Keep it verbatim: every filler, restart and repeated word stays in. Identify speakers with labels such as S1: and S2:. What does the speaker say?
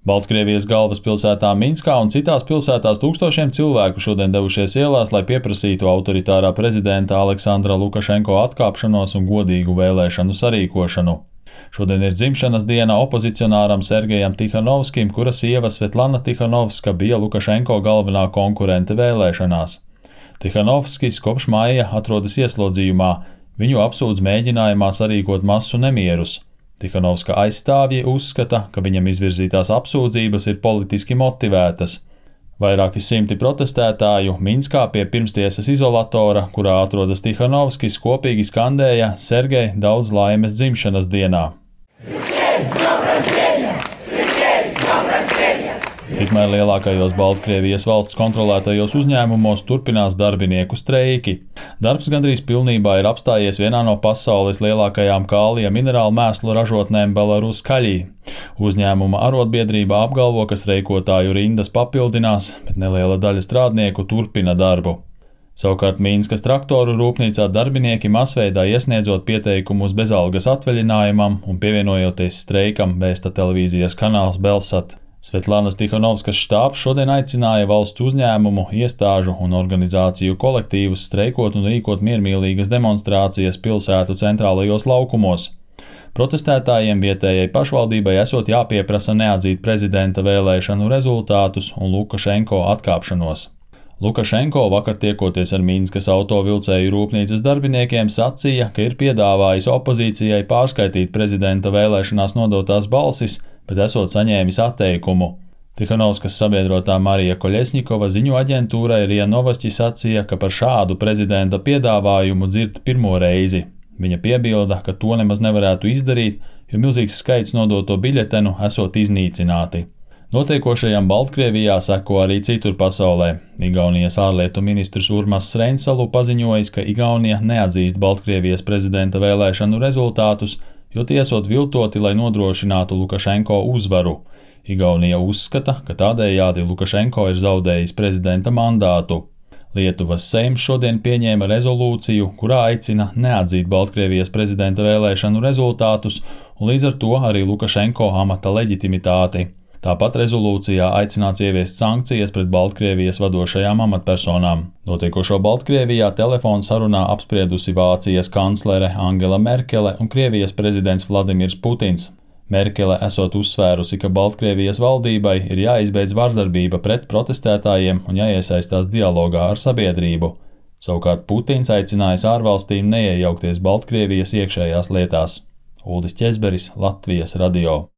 S1: Baltkrievijas galvaspilsētā Minskā un citās pilsētās tūkstošiem cilvēku šodien devušies ielās, lai pieprasītu autoritārā prezidenta Aleksandra Lukašenko atkāpšanos un godīgu vēlēšanu sarīkošanu. Šodien ir dzimšanas diena opozicionāram Sergejam Tihanovskim, kura sieva Svetlana Tihanovska bija Lukašenko galvenā konkurente vēlēšanās. Tihanovskis kopš maija atrodas ieslodzījumā, viņu apsūdz mēģinājumā sarīkot masu nemierus. Tihanovska aizstāvji uzskata, ka viņam izvirzītās apsūdzības ir politiski motivētas. Vairāki simti protestētāju Minskā pie pirmstiesas izolatora, kurā atrodas Tihanovskis, kopīgi skandēja Sergej, daudz laimes dzimšanas dienā. Tikmēr lielākajos Baltkrievijas valsts kontrolētajos uzņēmumos turpinās darbinieku streiki. Darbs gandrīz pilnībā ir apstājies vienā no pasaules lielākajām kālija minerālu mēslu ražotnēm Belaruskaļī. Uzņēmuma arotbiedrība apgalvo, ka streikotāju rindas papildinās, bet neliela daļa strādnieku turpina darbu. Savukārt Minskas traktoru rūpnīcā darbinieki masveidā iesniedzot pieteikumus bezalgas atvaļinājumam un pievienojoties streikam, vēsta televīzijas kanāls Belsat. Svetlanas Tihanovskas štābs šodien aicināja valsts uzņēmumu, iestāžu un organizāciju kolektīvus streikot un rīkot miermīlīgas demonstrācijas pilsētu centrālajos laukumos. Protestētājiem vietējai pašvaldībai esot jāpieprasa neatzīt prezidenta vēlēšanu rezultātus un Lukašenko atkāpšanos. Lukašenko vakar tiekoties ar Minskas autovilcēju rūpnīcas darbiniekiem sacīja, ka ir piedāvājis opozīcijai pārskaitīt prezidenta vēlēšanās nodotās balsis, bet esot saņēmis atteikumu. Tihanovskas sabiedrotā Marija Koļesņikova ziņu aģentūrai RIA Novosti sacīja, ka par šādu prezidenta piedāvājumu dzird pirmo reizi. Viņa piebilda, ka to nemaz nevarētu izdarīt, jo milzīgs skaits nodoto biļetenu esot iznīcināti. Notiekošajam Baltkrievijā seko arī citur pasaulē. Igaunijas ārlietu ministrs Urmas Reinsalu paziņojis, ka Igaunija neatzīst Baltkrievijas prezidenta vēlēšanu rezultātus, jo tie esot viltoti, lai nodrošinātu Lukašenko uzvaru. Igaunija uzskata, ka tādējādi Lukašenko ir zaudējis prezidenta mandātu. Lietuvas Seims šodien pieņēma rezolūciju, kurā aicina neatzīt Baltkrievijas prezidenta vēlēšanu rezultātus un līdz ar to arī Lukašenko amata leģitimitāti. Tāpat rezolūcijā aicināts ieviest sankcijas pret Baltkrievijas vadošajām amatpersonām. Notiekošo Baltkrievijā telefonu sarunā apspriedusi Vācijas kanclere Angela Merkele un Krievijas prezidents Vladimirs Putins. Merkele esot uzsvērusi, ka Baltkrievijas valdībai ir jāizbeidz vardarbība pret protestētājiem un jāiesaistās dialogā ar sabiedrību. Savukārt Putins aicinājis ārvalstīm neiejaukties Baltkrievijas iekšējās lietās. Uldis Ķezberis, Latvijas radio.